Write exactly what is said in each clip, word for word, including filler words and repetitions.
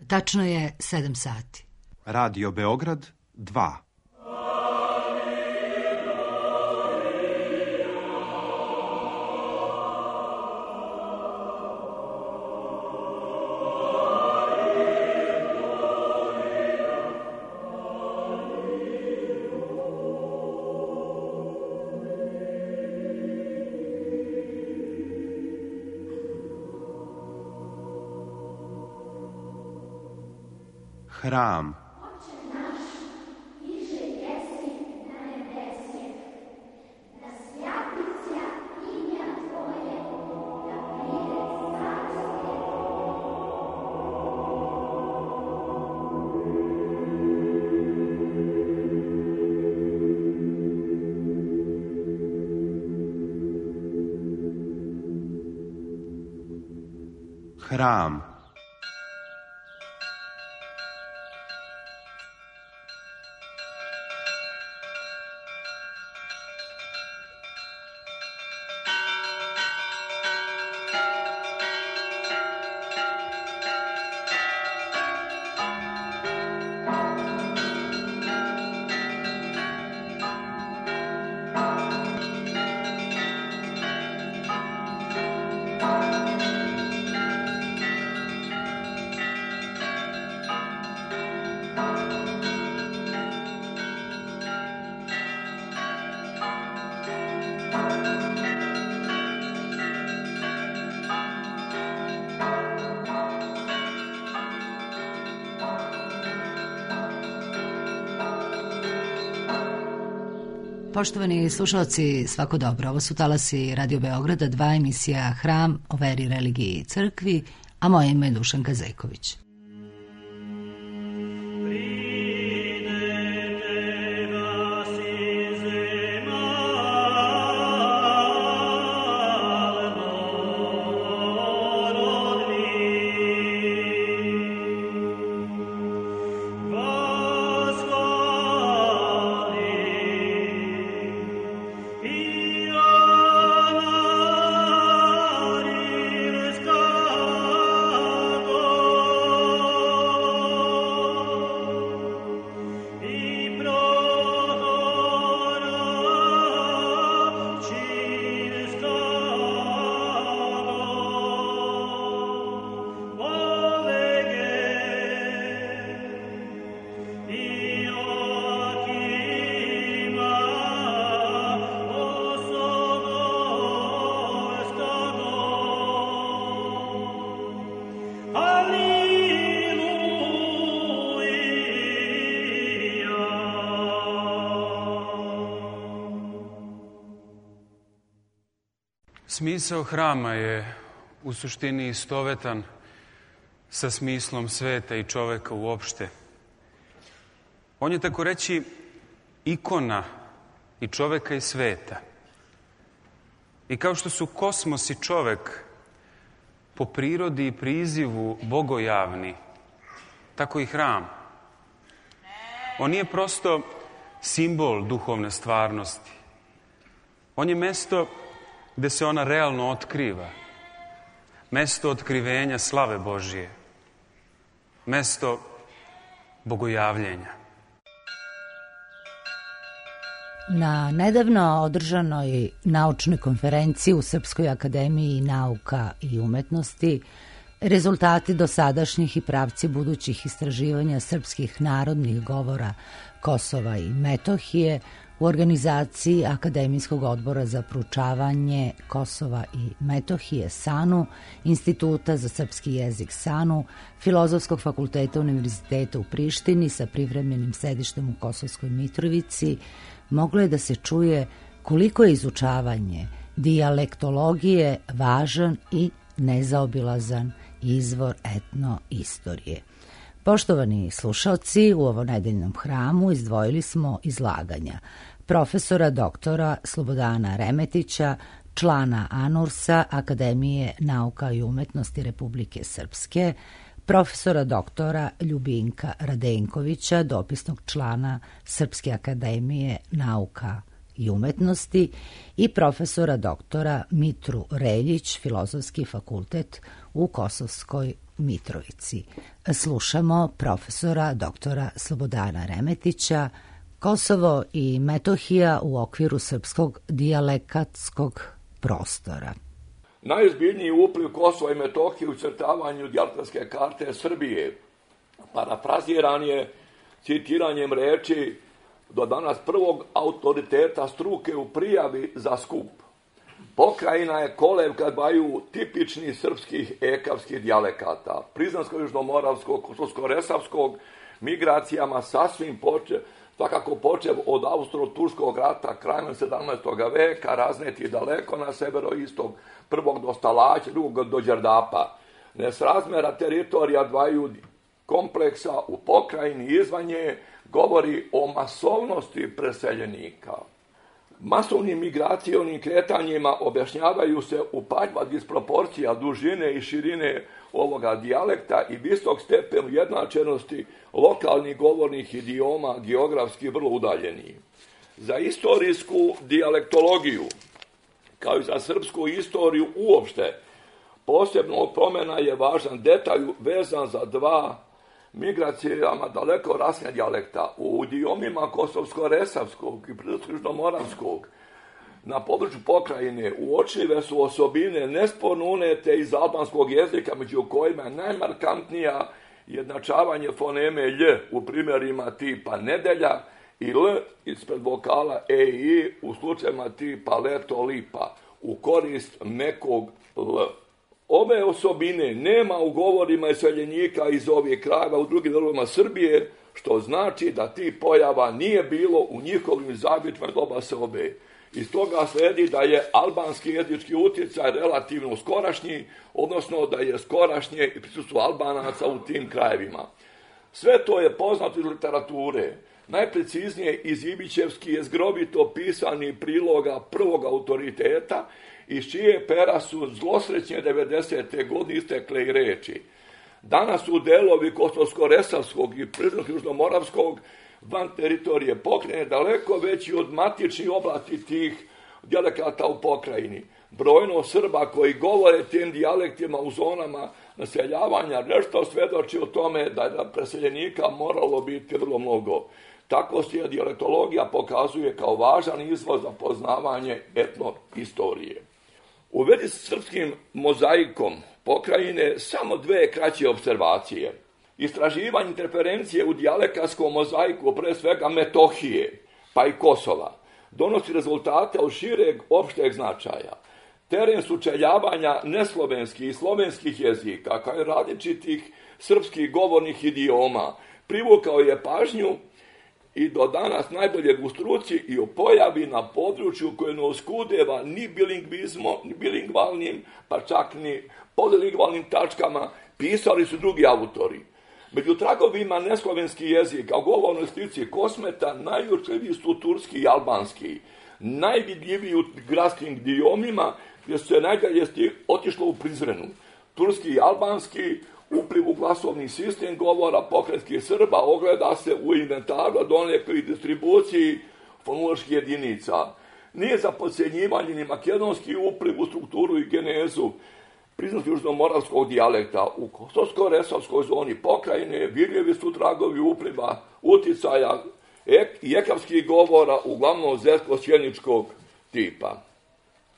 Tačno je sedam sati. Radio Beograd dva. Hram. Hram. Poštovani slušalci, svako dobro. Ovo su talasi Radio Beograda, dva, emisija Hram o veri, religiji i crkvi, a moje ime je Dušanka Zejković. Smisao hrama je u suštini istovetan sa smislom sveta i čoveka uopšte. On je, tako reći, ikona i čoveka i sveta. I kao što su kosmos i čovek po prirodi i prizivu bogojavni, tako i hram. On nije prosto simbol duhovne stvarnosti. On je mesto gde se ona realno otkriva. Mesto otkrivenja slave Božije. Mesto bogojavljenja. Na nedavno održanoj naučnoj konferenciji u Srpskoj akademiji nauka i umetnosti rezultati dosadašnjih i pravci budućih istraživanja srpskih narodnih govora Kosova i Metohije u organizaciji Akademijskog odbora za proučavanje Kosova i Metohije SANU, Instituta za srpski jezik SANU, Filozofskog fakulteta Univerziteta u Prištini sa privremenim sedištem u Kosovskoj Mitrovici, moglo je da se čuje koliko je izučavanje dijalektologije važan i nezaobilazan izvor etnoistorije. Poštovani slušalci, u ovo nedeljnom hramu izdvojili smo izlaganja profesora doktora Slobodana Remetića, člana ANURS-a Akademije nauka i umetnosti Republike Srpske, profesora doktora Ljubinka Radenkovića, dopisnog člana Srpske akademije nauka i umetnosti, i profesora doktora Mitru Reljić, Filozofski fakultet u Kosovskoj Mitrovici. Slušamo profesora doktora Slobodana Remetića, Kosovo i Metohija u okviru srpskog dijalekatskog prostora. Najozbiljniji upliv Kosova i Metohije u crtavanju dijalektatske karte Srbije parafraziran je citiranjem reči do danas prvog autoriteta struke u prijavi za skup. Pokrajina je kolevka dvaju tipičnih srpskih ekavskih dijalekata, prizansko-južnomoravskog, kosovsko-resavskog, migracijama sasvim počev, svakako počev od Austro-Turskog rata krajem sedamnaestog veka, razneti daleko na severoistok, prvog do Stalaća, drugog do Đerdapa. Nesrazmera teritorija dvaju kompleksa u pokrajini izvan nje govori o masovnosti preseljenika. Masovnim migracionim kretanjima objašnjavaju se upadljiva disproporcija dužine i širine ovoga dijalekta i visok stepen ujednačenosti lokalnih govornih idioma, geografski vrlo udaljeni. Za istorijsku dijalektologiju, kao i za srpsku istoriju uopšte, posebno pomena je važan detalj vezan za dva migracijama daleko rasne dijalekta. U idiomima kosovsko-resavskog i prizansko-južnomoravskog na području pokrajine uočljive su osobine nesporno unete iz albanskog jezika, među kojima je najmarkantnija jednačavanje foneme lj u primjerima tipa nedelja i l ispred vokala e i i u slučajima tipa leto lipa u korist mekog l. Ove osobine nema u govorima iseljenika iz ovih krajeva u drugim delovima Srbije, što znači da ti pojava nije bilo u njihovim zabičima doba seobe. Iz toga sledi da je albanski jezički utjecaj relativno skorašnji, odnosno da je skorašnje i prisustvo Albanaca u tim krajevima. Sve to je poznato iz literature, najpreciznije iz Ibićevski je zgrobito pisani priloga prvog autoriteta, iz čije pera su zlosrećne devedesete godine istekle i reči. Danas su delovi kosovsko-resavskog i prizansko-južnomoravskog van teritorije pokrajine daleko veći od matičnih oblasti tih dijalekata u pokrajini. Brojno Srba koji govore tim dijalektima u zonama naseljavanja nešto svedoči o tome da je preseljenika moralo biti vrlo mnogo. Tako se dijalektologija pokazuje kao važan izvor za poznavanje etnohistorije. U vezi s srpskim mozaikom pokrajine samo dve kraće observacije. Istraživanje interferencije u dijalekatskom mozaiku, pre svega Metohije, pa i Kosova, donosi rezultate od šireg opšteg značaja. Teren sučeljavanja neslovenskih i slovenskih jezika, kao i različitih srpskih govornih idioma, privukao je pažnju i do danas najbolje u struci i o pojavi na području koje ne oskudeva ni bilingvizmom, ni bilingvalnim, pa čak ni polilingvalnim tačkama, pisali su drugi autori. Među tragovima neslovenskih jezika u govornoj slici Kosmeta najučljiviji su turski i albanski. Najvidljiviji u gradskim idiomima gdje su se najdalje otišlo u Prizrenu. Turski i albanski upliv u glasovni sistem govora pokrajinskih Srba ogleda se u inventaru, donekle i distribuciji fonoloških jedinica. Nije za podcjenjivanje ni makedonski upliv u strukturu i genezu prizansko-južnomoravskog dijalekta. U kosovsko-resavskoj zoni pokrajine vidljivi su tragovi upliva uticaja i ekavskih govora, uglavnom zetko-sjeničkog tipa.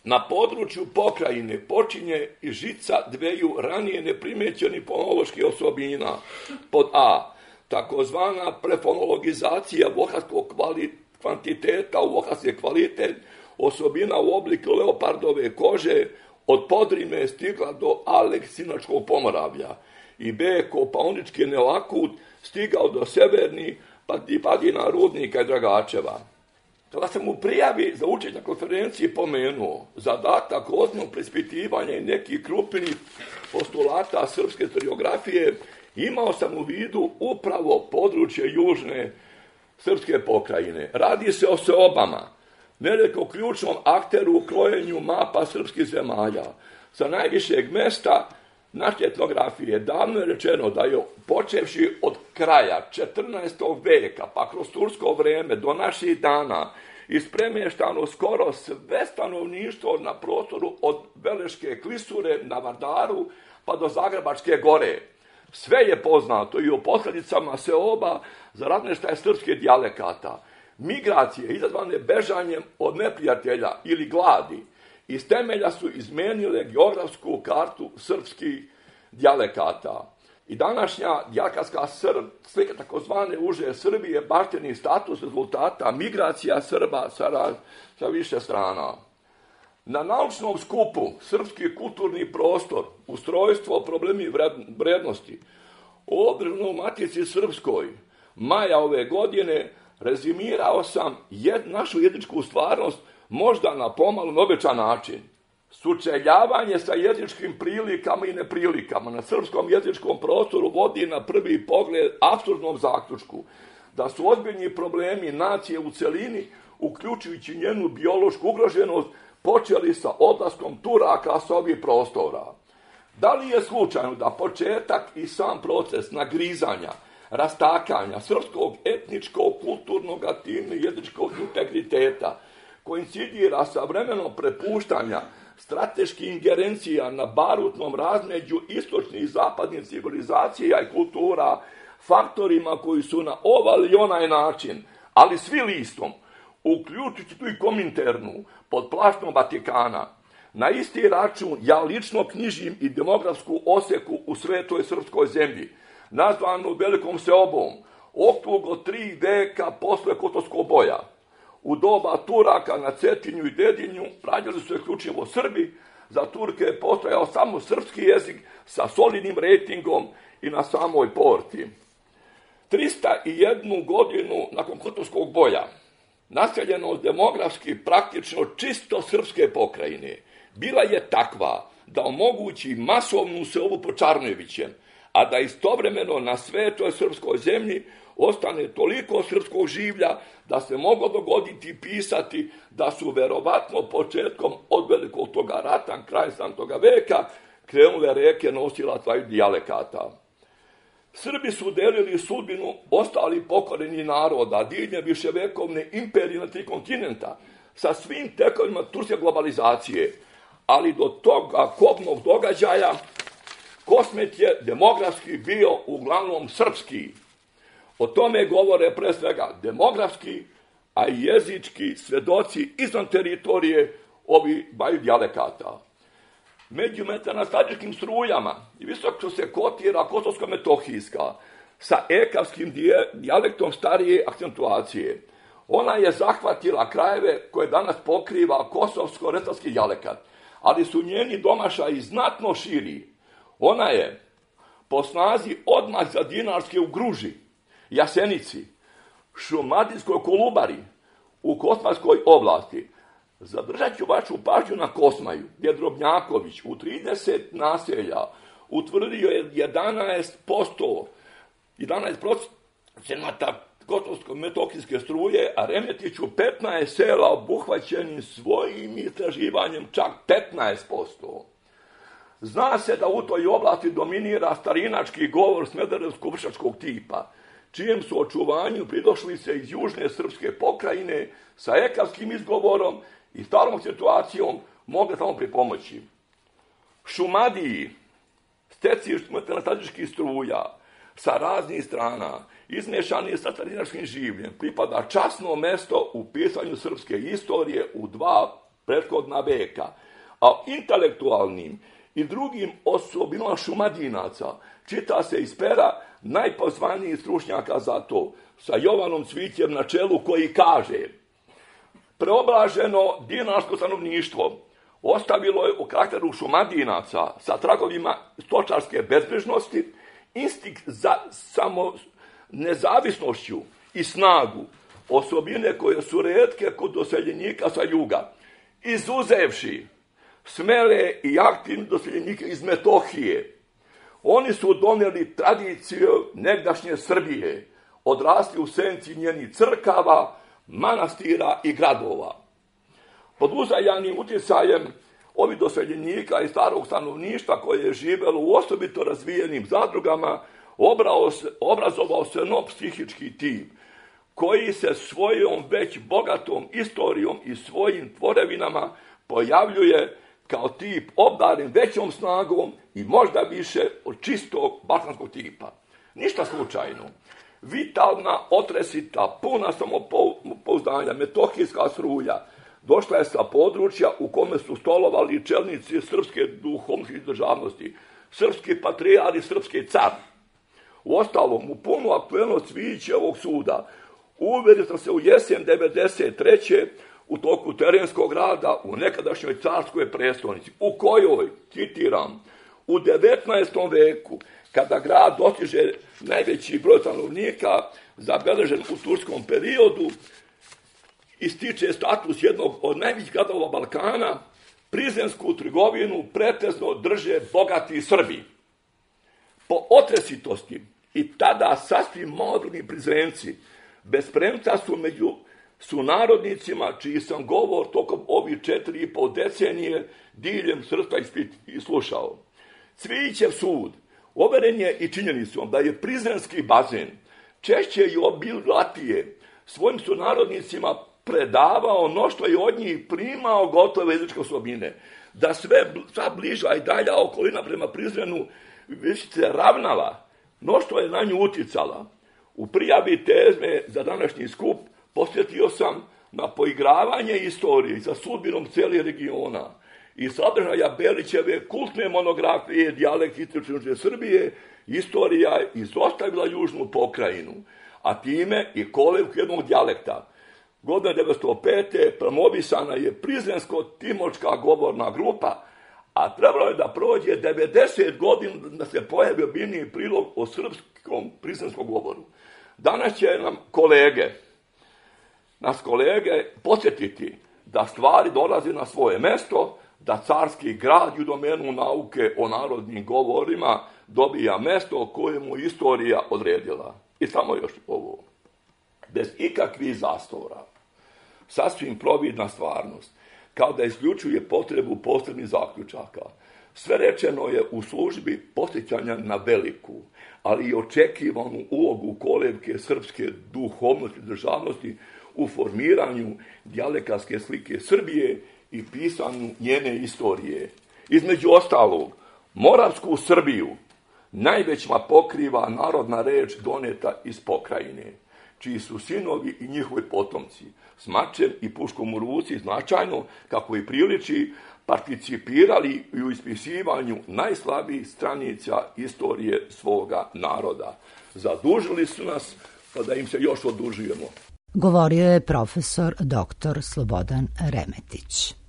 Na području pokrajine počinje i žica dveju ranije neprimećenih fonoloških osobina. Pod A, takozvana prefonologizacija voharskog kvantiteta u voharski kvalitet, osobina u obliku leopardove kože, od Podrime stigla do Aleksinačkog Pomoravlja i B, kopaonički neoakut stigao do severnih padina Rudnika i Dragačeva. Kada sam u prijavi za učenje na konferenciji pomenuo zadatak ozbiljnog preispitivanja i nekih krupnih postulata srpske historiografije, imao sam u vidu upravo područje južne srpske pokrajine. Radi se o seobama, veliko ključnom akteru u krojenju mapa srpskih zemalja. Sa najvišeg mesta naše etnografije davno je rečeno da je počevši od kraja četrnaestog veka pa kroz tursko vreme do naših dana ispremeštano skoro sve stanovništvo na prostoru od Veleške klisure na Vardaru pa do Zagrebačke gore. Sve je poznato i o posljedicama seoba za razmještaj srpskih dijalekata. Migracije izazvane bežanjem od neprijatelja ili gladi iz temelja su izmenile geografsku kartu srpskih dijalekata. I današnja dijalekatska slika takozvane uže Srbije baštini status rezultata migracija Srba sa, sa više strana. Na naučnom skupu Srpski kulturni prostor, ustrojstvo, problemi vrednosti, održano u Matici Srpskoj, maja ove godine, rezimirao sam jed, našu jezičku stvarnost možda na pomalo neobičan način. Sučeljavanje sa jezičkim prilikama i neprilikama na srpskom jezičkom prostoru vodi na prvi pogled apsurdnom zaključku da su ozbiljni problemi nacije u celini, uključujući njenu biološku ugroženost, počeli sa odlaskom Turaka sa ovih prostora. Da li je slučajno da početak i sam proces nagrizanja, rastakanja srpskog etničkog, kulturnog, aktivnog i jezičkog integriteta koincidira sa vremenom prepuštanja strateških ingerencija na barutnom razmeđu istočnih i zapadnih civilizacija i kultura faktorima koji su na ovaj ili onaj način, ali svi listom, uključujući tu i Kominternu, pod plaštom Vatikana, na isti račun ja lično knjižim i demografsku oseku u svetoj srpskoj zemlji, nazvanu Velikom seobom, okrugo tri veka posle Kotorskog boja. U doba Turaka na Cetinju i Dedinju rađali su isključivo Srbi, za Turke je postojao samo srpski jezik sa solidnim rejtingom i na samoj porti. trista jedan godinu nakon Kotorskog boja, naseljenost demografski praktično čisto srpske pokrajine bila je takva da omogući masovnu seobu pod Čarnojevićem, a da istovremeno na svetoj srpskoj zemlji ostane toliko srpskog življa da se moglo dogoditi i pisati da su verovatno početkom od velikog toga rata, kraj sedamnaestog veka, krenule reke nosilaca i dijalekata. Srbi su delili sudbinu ostalih pokorenih naroda, diljem viševekovne imperije na tri kontinenta, sa svim tekovima turske globalizacije, ali do toga kobnog događaja Kosmet je demografski bio uglavnom srpski. O tome govore pre svega demografski, a i jezički svedoci izvan teritorije ovih dvaju dijalekata. Među metanastadičkim strujama i visoko se kotira kotorsko-metohijska sa ekavskim dijalektom starije akcentuacije. Ona je zahvatila krajeve koje danas pokriva kosovsko-retarski dijalekat, ali su njeni domašaji znatno širi. Ona je po snazi odmah za Dinarske u Gruži, Jasenici, Šumadijskoj Kolubari, u Kosmajskoj oblasti. Zadržat ću vašu pažnju na Kosmaju, gdje Drobnjaković u trideset naselja utvrdio je jedanaest posto procenata kotorsko-metohijske struje, a Remetiću petnaest sela obuhvaćenim svojim istraživanjem čak petnaest posto. Zna se da u toj oblasti dominira starinački govor smederevsko-vršačkog tipa, čijem su očuvanju pridošli se iz južne srpske pokrajine sa ekavskim izgovorom i starom situacijom mogle samo pripomoći. Šumadiji, stecišt metanastadičkih struja, sa raznih strana, izmješani sa starinačkim življem, pripada časno mesto u pisanju srpske istorije u dva prethodna veka, a intelektualnim i drugim osobinama šumadinaca čita se iz pera najpozvanijih stručnjaka za to, sa Jovanom Cvićem na čelu, koji kaže: preoblaženo dinarsko stanovništvo ostavilo je u karakteru šumadinaca sa tragovima stočarske bezbrižnosti instinkt za samo nezavisnošću i snagu, osobine koje su retke kod doseljenika sa juga, izuzevši smele i aktivne doseljenike iz Metohije. Oni su donijeli tradiciju negdašnje Srbije, odrasli u senci njenih crkava, manastira i gradova. Pod uzajanim utjecajem ovih doseljenika i starog stanovništva koje je živjelo u osobito razvijenim zadrugama, obrazovao se nov psihički tim, koji se svojom već bogatom istorijom i svojim tvorevinama pojavljuje kao tip obdaren većom snagom i možda više od čistog balkanskog tipa. Ništa slučajno. Vitalna, otresita, puna samopouzdanja, metohijska strulja došla je sa područja u kome su stolovali čelnici srpske duhovnosti državnosti, srpski patrijar i srpski car. U ostalom, u punu aktuelnost Cvijićevog suda uverio sam se u jesen devedeset treće u toku terenskog rada u nekadašnjoj carskoj prestonici, u kojoj, citiram, u devetnaestom veku, kada grad dostiže najveći broj stanovnika, zabeležen u turskom periodu, ističe status jednog od najvećih gradova Balkana, prizrensku trgovinu pretežno drže bogati Srbi. Po otresitosti i tada sasvim modrni Prizrenci bez premca su među sunarodnicima čiji sam govor tokom ovih četiri i pol decenije diljem srpstva i slušao. Cvijićev sud overen je i činjenicom da je prizrenski bazen češće i obilatije svojim sunarodnicima predavao no što je od njih primao gotove jezičke osobine, da sve sva bliža i dalja okolina prema Prizrenu više se ravnala no što je na nju uticala. U prijavi tezme za današnji skup posjetio sam na poigravanje istorije sa sudbinom cijelih regiona i sadržaja Belićeve kultne monografije Dijalekt istočne Srbije, istorija izostavila južnu pokrajinu, a time i kolevku jednog dijalekta. Godine devetsto pete promovisana je Prizrensko-Timočka govorna grupa, a trebalo je da prođe devedeset godina da se pojavi obiljniji prilog o srpskom prizrenskom govoru. Danas će nam kolege, nas kolege podsjetiti da stvari dolaze na svoje mesto, da carski grad u domenu nauke o narodnim govorima dobija mesto koje mu istorija odredila. I samo još ovo. Bez ikakvih zastora, sasvim providna stvarnost, kao da isključuje potrebu posebnih zaključaka. Sve rečeno je u službi posjećanja na veliku, ali i očekivanu ulogu kolevke srpske duhovnosti i državnosti u formiranju dijalekatske slike Srbije i pisanju njene istorije. Između ostalog, Moravsku Srbiju najvećma pokriva narodna reč doneta iz pokrajine, čiji su sinovi i njihovi potomci s mačem i puškom u ruci značajno, kako i priliči, participirali i u ispisivanju najslabijih stranica istorije svoga naroda. Zadužili su nas, pa da im se još odužujemo. Govorio je profesor doktor Slobodan Remetić.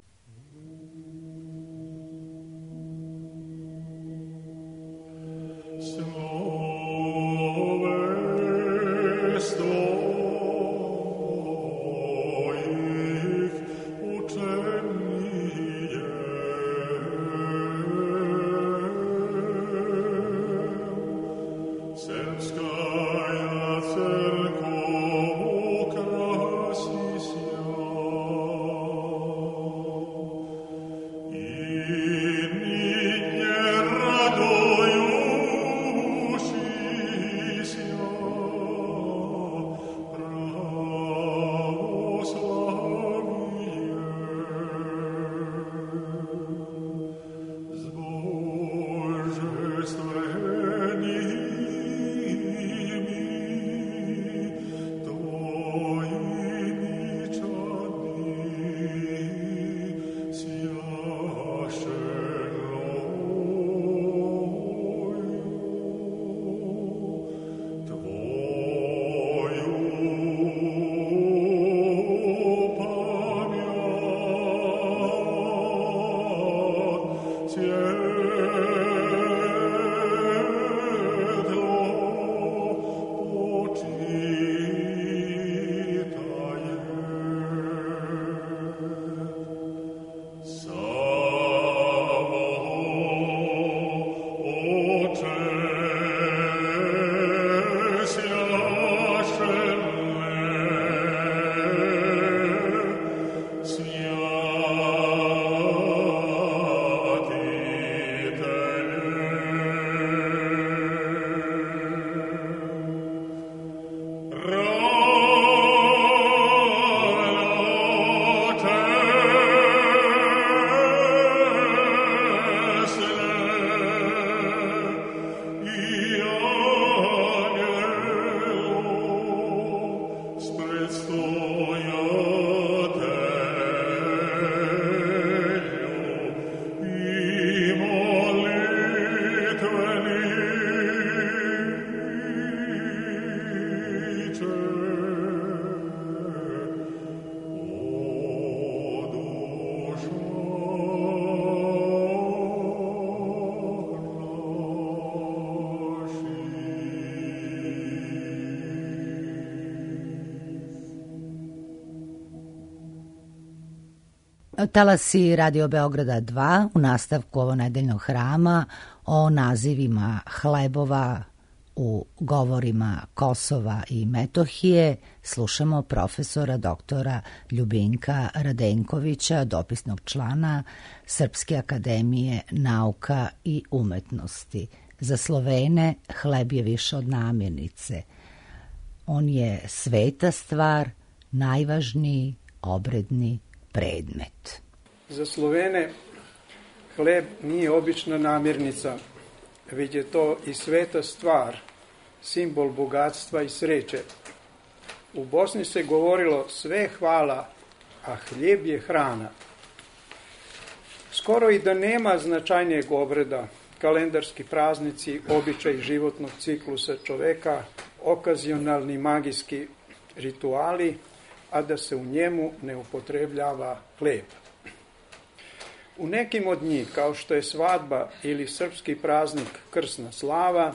Talasi Radio Beograda dva u nastavku ovonedeljnog hrama o nazivima hlebova u govorima Kosova i Metohije slušamo profesora doktora Ljubinka Radenkovića, dopisnog člana Srpske akademije nauka i umetnosti. Za Slovene hleb je više od namirnice. On je sveta stvar, najvažniji obredni predmet. Za Slovene hleb nije obična namirnica, već je to i sveta stvar, simbol bogatstva i sreće. U Bosni se govorilo sve hvala, a hljeb je hrana. Skoro i da nema značajnijeg obreda, kalendarski praznici, običaj životnog ciklusa čoveka, okazionalni magijski rituali, a da se u njemu ne upotrebljava hleb. U nekim od njih, kao što je svadba ili srpski praznik Krsna slava,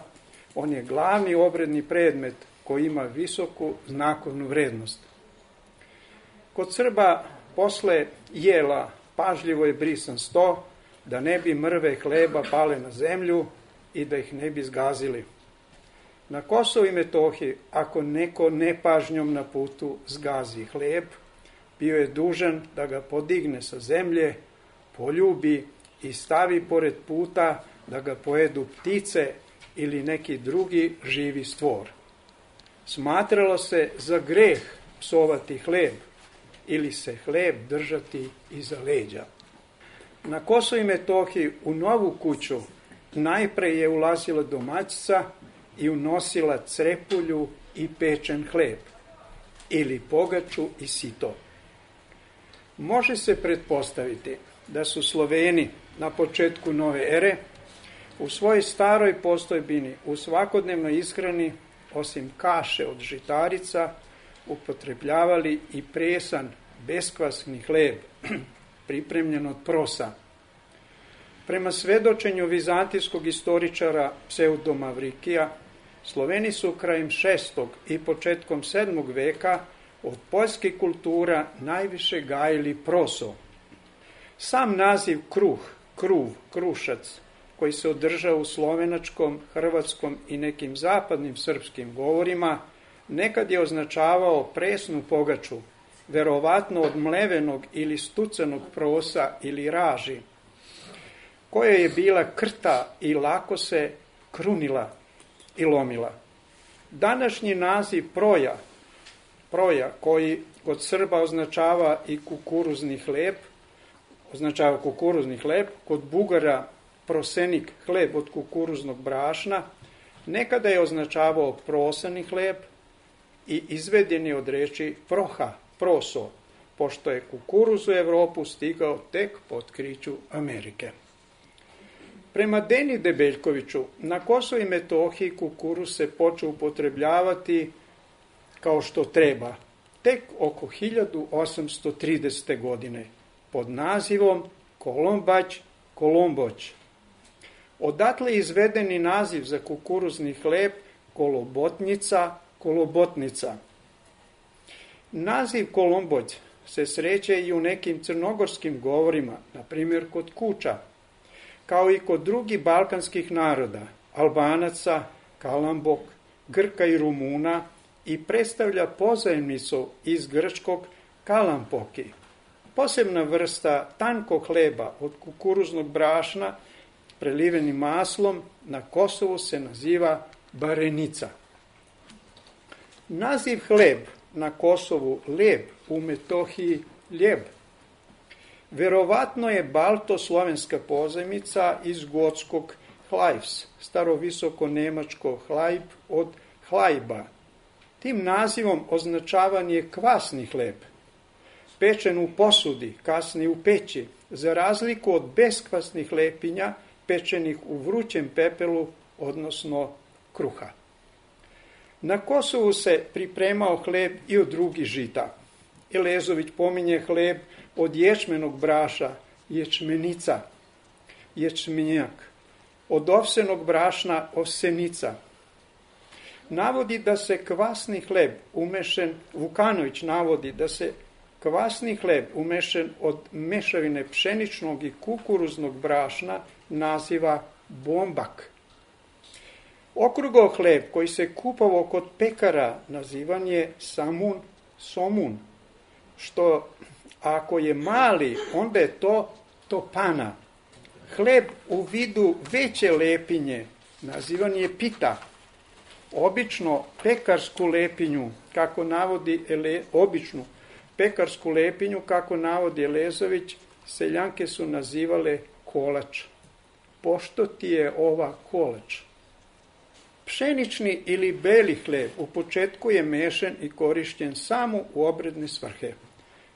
on je glavni obredni predmet koji ima visoku znakovnu vrednost. Kod Srba posle jela pažljivo je brisan sto, da ne bi mrve hleba pale na zemlju i da ih ne bi zgazili. Na Kosovu i Metohiji, ako neko nepažnjom na putu zgazi hleb, bio je dužan da ga podigne sa zemlje, poljubi i stavi pored puta da ga pojedu ptice ili neki drugi živi stvor. Smatralo se za greh psovati hleb ili se hleb držati iza leđa. Na Kosovu i Metohiji u novu kuću najpre je ulazila domaćica i unosila crepulju i pečen hleb ili pogaču i sito. Može se pretpostaviti da su Sloveni na početku nove ere u svojoj staroj postojbini u svakodnevnoj ishrani osim kaše od žitarica upotrebljavali i presan beskvasni hleb pripremljen od prosa. Prema svedočenju vizantijskog istoričara Pseudomavrikija, Sloveni su krajem šestog i početkom sedmog veka od poljskih kultura najviše gajili proso. Sam naziv kruh, kruv, krušac, koji se održao u slovenačkom, hrvatskom i nekim zapadnim srpskim govorima, nekad je označavao presnu pogaču, verovatno od mlevenog ili stucanog prosa ili raži, koja je bila krta i lako se krunila i lomila. Današnji naziv proja, proja koji kod Srba označava i kukuruzni hleb, označava kukuruzni hleb, kod Bugara prosenik hleb od kukuruznog brašna, nekada je označavao prosani hleb i izveden je od reči proha, proso, pošto je kukuruz u Evropu stigao tek po otkriću Amerike. Prema Deni Debeljkoviću, na Kosovu i Metohiji kukuruz se počeo upotrebljavati kao što treba, tek oko hiljadu osamsto tridesete. godine, pod nazivom Kolombać, Kolomboć. Odatle je izvedeni naziv za kukuruzni hleb kolobotnica, kolobotnica. Naziv Kolomboć se sreće i u nekim crnogorskim govorima, na primjer kod Kuča, kao i kod drugih balkanskih naroda, Albanaca, Kalambok, Grka i Rumuna, i predstavlja pozajemnicu iz grčkog kalampoki. Posebna vrsta tankog hleba od kukuruznog brašna prelivenim maslom na Kosovu se naziva barenica. Naziv hleb na Kosovu leb, u Metohiji ljeb. Verovatno je balto-slovenska pozajmica iz gotskog hlajvs, starovisoko nemačko hlajb od hlajba. Tim nazivom označavan je kvasni hleb, pečen u posudi, kasnije u peći, za razliku od beskvasnih lepinja pečenih u vrućem pepelu, odnosno kruha. Na Kosovu se pripremao hleb i od drugih žita. Elezović pominje hleb od ječmenog braša, ječmenica, ječmenjak, od ovsenog brašna, ovsenica. Navodi da se kvasni hleb umešen, Vukanović navodi da se Kvasni hleb umešen od mešavine pšeničnog i kukuruznog brašna naziva bombak. Okrugao hleb koji se kupovao kod pekara nazivan je samun, somun, što ako je mali, onda je to topana. Hleb u vidu veće lepinje nazivan je pita. Obično pekarsku lepinju, kako navodi ele, običnu pekarsku lepinju, kako navodi Elezović, seljanke su nazivale kolač. Pošto ti je ova kolač? Pšenični ili beli hleb u početku je mešan i korišćen samo u obredne svrhe.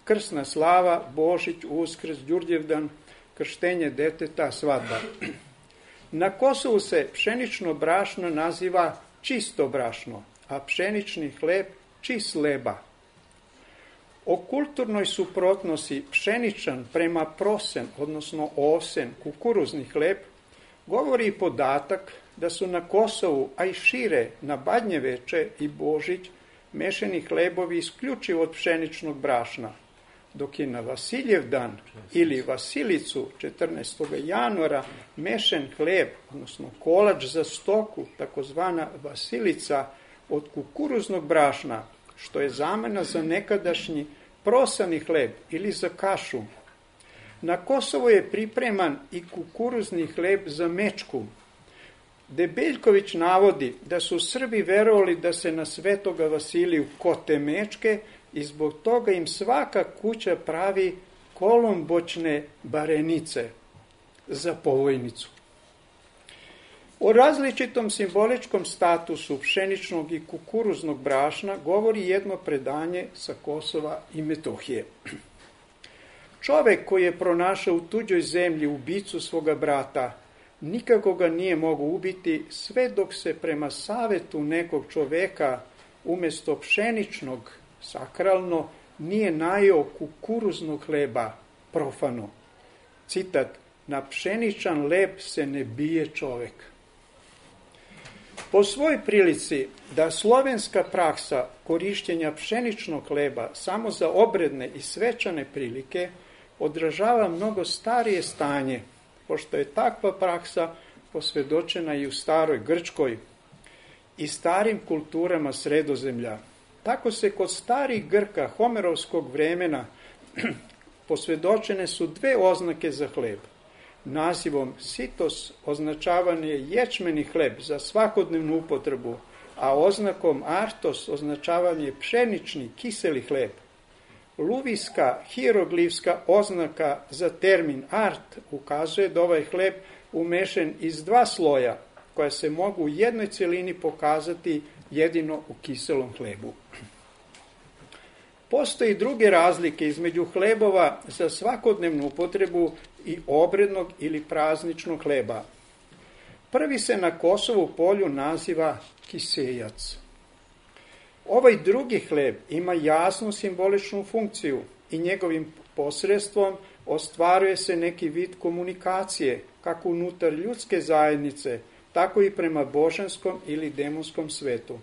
Krsna slava, Božić, Uskrs, Đurđevdan, krštenje deteta, svadba. Na Kosovu se pšenično brašno naziva čisto brašno, a pšenični hleb čist leba. O kulturnoj suprotnosti pšeničan prema prosen, odnosno ovsen, kukuruzni hleb, govori i podatak da su na Kosovu, a i šire, na Badnjeveče i Božić, mešani hlebovi isključivo od pšeničnog brašna, dok je na Vasiljevdan ili Vasilicu četrnaestog januara mešan hleb, odnosno kolač za stoku, takozvana Vasilica, od kukuruznog brašna, što je zamena za nekadašnji prosani hleb ili za kašu. Na Kosovu je pripreman i kukuruzni hleb za mečku. Debeljković navodi da su Srbi verovali da se na Svetoga Vasiliju kote mečke i zbog toga im svaka kuća pravi kolombočne barenice za povojnicu. O različitom simboličkom statusu pšeničnog i kukuruznog brašna govori jedno predanje sa Kosova i Metohije. Čovek koji je pronašao u tuđoj zemlji ubicu svoga brata, nikako ga nije mogao ubiti sve dok se prema savetu nekog čoveka umesto pšeničnog, sakralno, nije najeo kukuruznog hleba, profano. Citat, na pšeničan leb se ne bije čovek. Po svoj prilici da slovenska praksa korišćenja pšeničnog hleba samo za obredne i svečane prilike odražava mnogo starije stanje, pošto je takva praksa posvedočena i u staroj Grčkoj i starim kulturama Sredozemlja. Tako se kod starih Grka Homerovskog vremena posvedočene su dve oznake za hleb. Nazivom sitos označavan je ječmeni hleb za svakodnevnu upotrebu, a oznakom artos označavan je pšenični kiseli hleb. Luvijska hieroglifska oznaka za termin art ukazuje da ovaj hleb umešen iz dva sloja, koja se mogu u jednoj celini pokazati jedino u kiselom hlebu. Postoji druge razlike između hlebova za svakodnevnu upotrebu i obrednog ili prazničnog hleba. Prvi se na Kosovu polju naziva kisejac. Ovaj drugi hleb ima jasnu simboličnu funkciju i njegovim posredstvom ostvaruje se neki vid komunikacije, kako unutar ljudske zajednice, tako i prema božanskom ili demonskom svetu.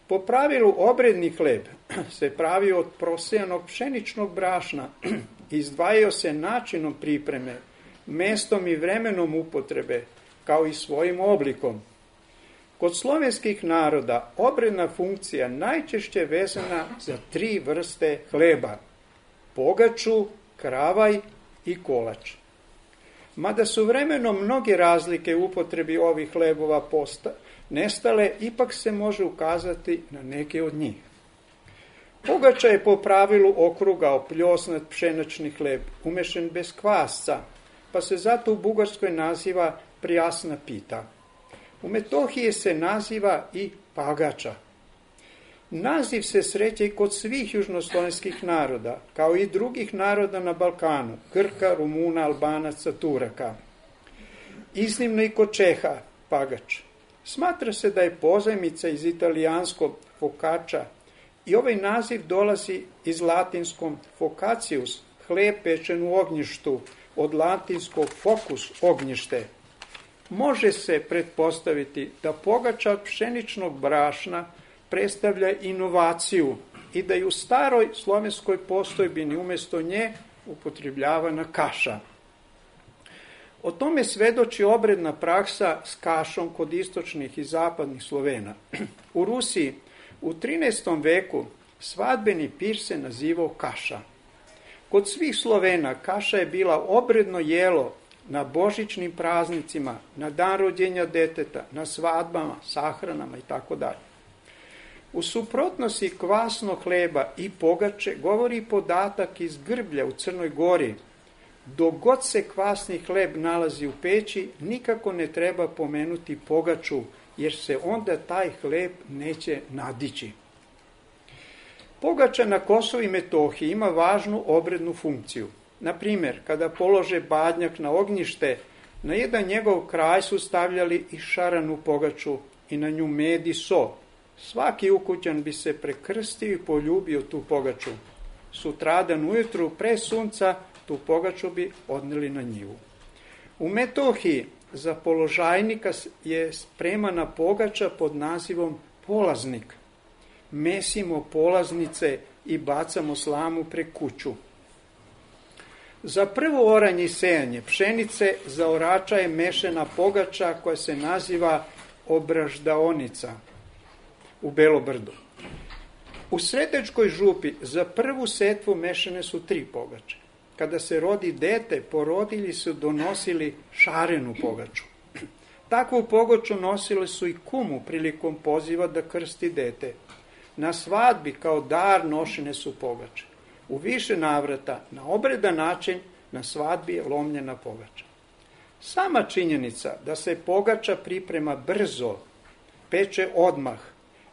Po pravilu obredni hleb se pravi od prosejanog pšeničnog brašna, izdvajao se načinom pripreme, mestom i vremenom upotrebe, kao i svojim oblikom. Kod slovenskih naroda obredna funkcija najčešće vezana za tri vrste hleba: pogaču, kravaj i kolač. Mada su vremenom mnoge razlike u upotrebi ovih hlebova posta, nestale, ipak se može ukazati na neke od njih. Pogača je po pravilu okrugao pljosnat pšenični hleb, umešen bez kvasca, pa se zato u Bugarskoj naziva prijasna pita. U Metohiji se naziva i pagača. Naziv se sreće i kod svih južnoslovenskih naroda, kao i drugih naroda na Balkanu, Grka, Rumuna, Albanaca, Turaka. Iznimno i kod Čeha, pagač. Smatra se da je pozajmica iz italijanskog fokača i ovaj naziv dolazi iz latinskom focacius, hleb pečen u ognjištu, od latinskog focus, ognjište. Može se pretpostaviti da pogača pšeničnog brašna predstavlja inovaciju i da je u staroj slovenskoj postojbini umjesto nje upotrebljavana kaša. O tome svedoči obredna praksa s kašom kod istočnih i zapadnih Slovena. U Rusiji u trinaestom veku svadbeni pir se nazivao kaša. Kod svih Slovena kaša je bila obredno jelo na božićnim praznicima, na dan rođenja deteta, na svadbama, sahranama i tako dalje. U suprotnosti kvasnog hleba i pogače govori podatak iz Grblja u Crnoj Gori. Dok god se kvasni hleb nalazi u peći, nikako ne treba pomenuti pogaču, jer se onda taj hleb neće nadići. Pogača na Kosovu i Metohiji ima važnu obrednu funkciju. Na primjer, kada polože badnjak na ognjište, na jedan njegov kraj su stavljali i šaranu pogaču i na nju med i so. Svaki ukućan bi se prekrstio i poljubio tu pogaču. Sutradan ujutru pre sunca tu pogaču bi odneli na njivu. U Metohiji za položajnika je spremana pogača pod nazivom polaznik. Mesimo polaznice i bacamo slamu pre kuću. Za prvo oranje i sejanje pšenice za orača je mešana pogača koja se naziva obraždaonica u Belobrdu. U Sretečkoj župi za prvu setvu mešane su tri pogače. Kada se rodi dete, porodilji su donosili šarenu pogaču. Takvu pogaču nosile su i kumu prilikom poziva da krsti dete. Na svadbi kao dar nošene su pogače. U više navrata, na obredan način, na svadbi je lomljena pogača. Sama činjenica da se pogača priprema brzo, peče odmah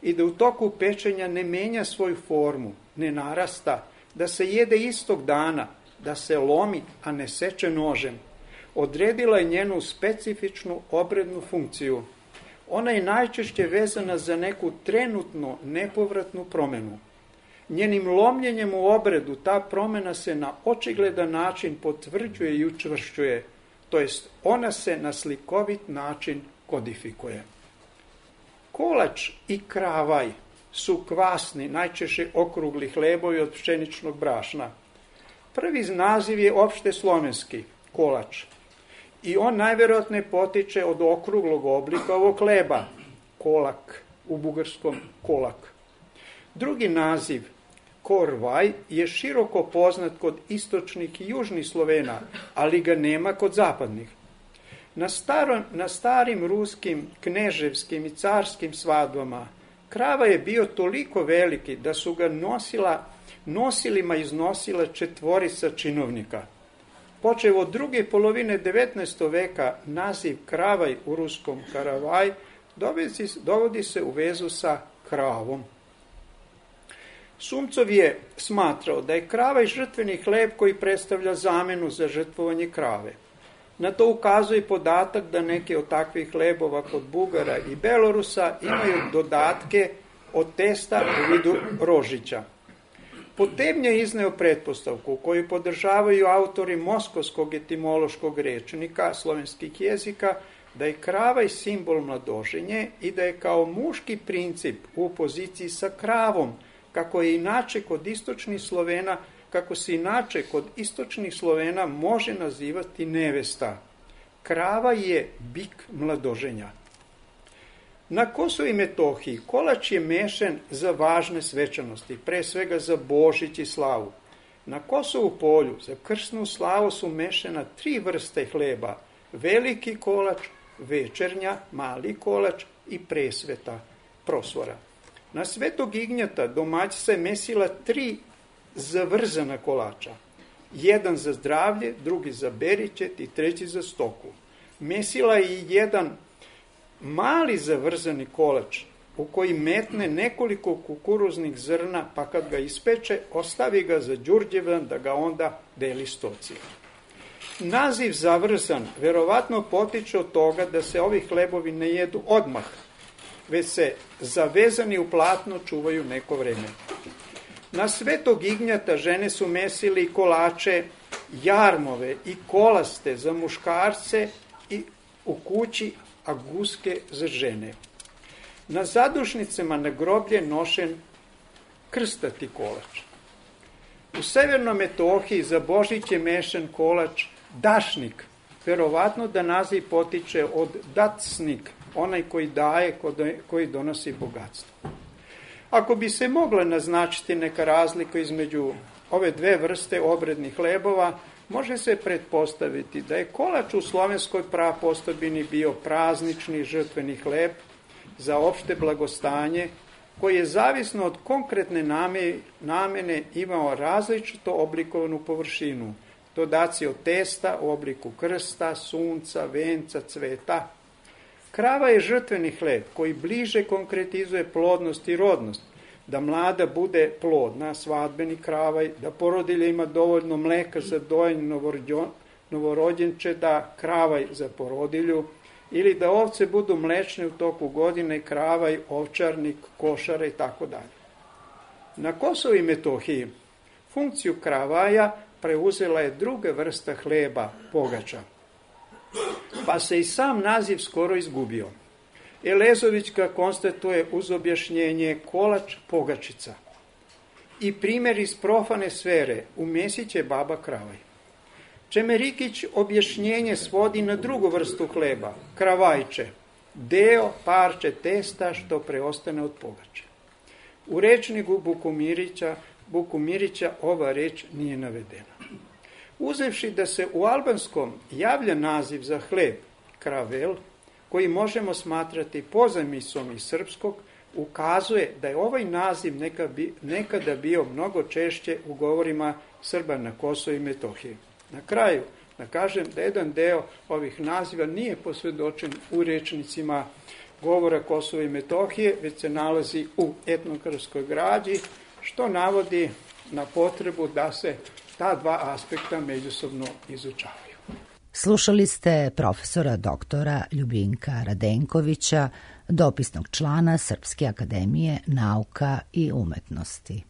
i da u toku pečenja ne menja svoju formu, ne narasta, da se jede istog dana, da se lomi, a ne seče nožem, odredila je njenu specifičnu obrednu funkciju. Ona je najčešće vezana za neku trenutno nepovratnu promenu. Njenim lomljenjem u obredu ta promena se na očigledan način potvrđuje i učvršćuje, to jest ona se na slikovit način kodifikuje. Kolač i kravaj su kvasni, najčešće okrugli hlebovi od pšeničnog brašna. Prvi naziv je opšte slovenski, kolač. I on najverovatnije potiče od okruglog oblika ovog hleba, kolak, u bugarskom kolak. Drugi naziv, korvaj, je široko poznat kod istočnih i južnih Slovena, ali ga nema kod zapadnih. Na, staro, na starim ruskim, kneževskim i carskim svadbama krava je bio toliko veliki da su ga nosila, nosilima iznosila četvorica činovnika. Počev od druge polovine devetnaestog veka naziv kravaj u ruskom karavaj dovodi se u vezu sa kravom. Sumcov je smatrao da je kravaj žrtveni hleb koji predstavlja zamenu za žrtvovanje krave. Na to ukazuje podatak da neke od takvih hlebova kod Bugara i Belorusa imaju dodatke od testa u vidu rožića. Potebnja je izneo pretpostavku koju podržavaju autori Moskovskog etimološkog rečnika slovenskih jezika, da je kravaj simbol mladoženje i da je kao muški princip u poziciji sa kravom, kako je inače kod istočnih Slovena, kako se inače kod istočnih Slovena može nazivati nevesta. Krava je bik mladoženja. Na Kosovu i Metohiji kolač je mešan za važne svečanosti, pre svega za Božić i slavu. Na Kosovu polju za krsnu slavu su mešana tri vrste hleba, veliki kolač, večernja, mali kolač i presveta, prosvora. Na Svetog Ignjata domaćica je mesila tri zavrzana kolača. Jedan za zdravlje, drugi za beričet i treći za stoku. Mesila je i jedan mali zavrzani kolač u koji metne nekoliko kukuruznih zrna, pa kad ga ispeče, ostavi ga za Đurđevdan da ga onda deli stoci. Naziv zavrzan verovatno potiče od toga da se ovi hlebovi ne jedu odmah, već se zavezani u platno čuvaju neko vreme. Na Svetog Ignjata žene su mesili kolače, jarmove i kolaste za muškarce i u kući, a guske za žene. Na zadušnicama na groblje nošen krstati kolač. U Severnoj Metohiji za Božić je mešan kolač dašnik, verovatno da naziv potiče od dacnik, onaj koji daje, koji donosi bogatstvo. Ako bi se mogla naznačiti neka razlika između ove dve vrste obrednih hlebova, može se pretpostaviti da je kolač u slovenskoj prapostojbini bio praznični žrtveni hleb za opšte blagostanje, koji je zavisno od konkretne namene imao različito oblikovanu površinu, dodaci od testa u obliku krsta, sunca, venca, cveta. Krava je žrtveni hleb koji bliže konkretizuje plodnost i rodnost, da mlada bude plodna, svadbeni kravaj, da porodilja ima dovoljno mleka za dojenje novorođenče, da kravaj za porodilju, ili da ovce budu mlečne u toku godine, kravaj, ovčarnik, košara i tako dalje. Na Kosovu i Metohiji funkciju kravaja preuzela je druga vrsta hleba, pogača, pa se i sam naziv skoro izgubio. Elezovićka konstatuje uz objašnjenje kolač pogačica i primjer iz profane sfere u Mesić je baba kravaj. Čemerikić objašnjenje svodi na drugu vrstu hleba, kravajče, deo, parče testa što preostane od pogače. U rečniku Bukumirića, Bukumirića ova reč nije navedena. Uzevši da se u albanskom javlja naziv za hleb, kravel, koji možemo smatrati pozajmicom iz srpskog, ukazuje da je ovaj naziv nekada bio mnogo češće u govorima Srba na Kosovu i Metohiji. Na kraju, da kažem da jedan deo ovih naziva nije posvedočen u rečnicima govora Kosova i Metohije, već se nalazi u etnografskoj građi, što navodi na potrebu da se ta dva aspekta međusobno izučavaju. Slušali ste profesora doktora Ljubinka Radenkovića, dopisnog člana Srpske akademije nauka i umetnosti.